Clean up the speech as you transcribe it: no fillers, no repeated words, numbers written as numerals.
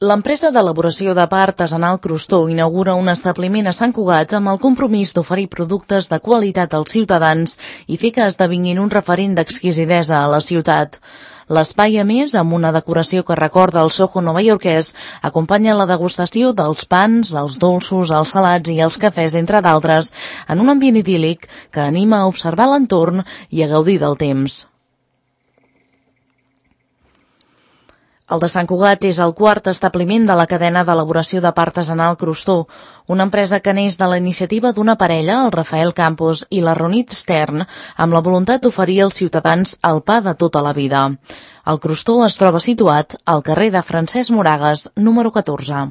L'empresa d'elaboració de pa artesanal Crostó inaugura un establiment a Sant Cugat amb el compromís d'oferir productes de qualitat als ciutadans i fer que esdevinguin un referent d'exquisidesa a la ciutat. L'espai, a més, amb una decoració que recorda el Soho novaiorquès, acompanya la degustació dels pans, els dolços, els salats i els cafès, entre d'altres, en un ambient idíl·lic que anima a observar l'entorn i a gaudir del temps. El de Sant Cugat és el quart establiment de la cadena d'elaboració de pa artesanal Crostó, una empresa que neix de la iniciativa d'una parella, el Rafael Campos i la Ronit Stern, amb la voluntat d'oferir als ciutadans el pa de tota la vida. El Crostó es troba situat al carrer de Francesc Moragas, número 14.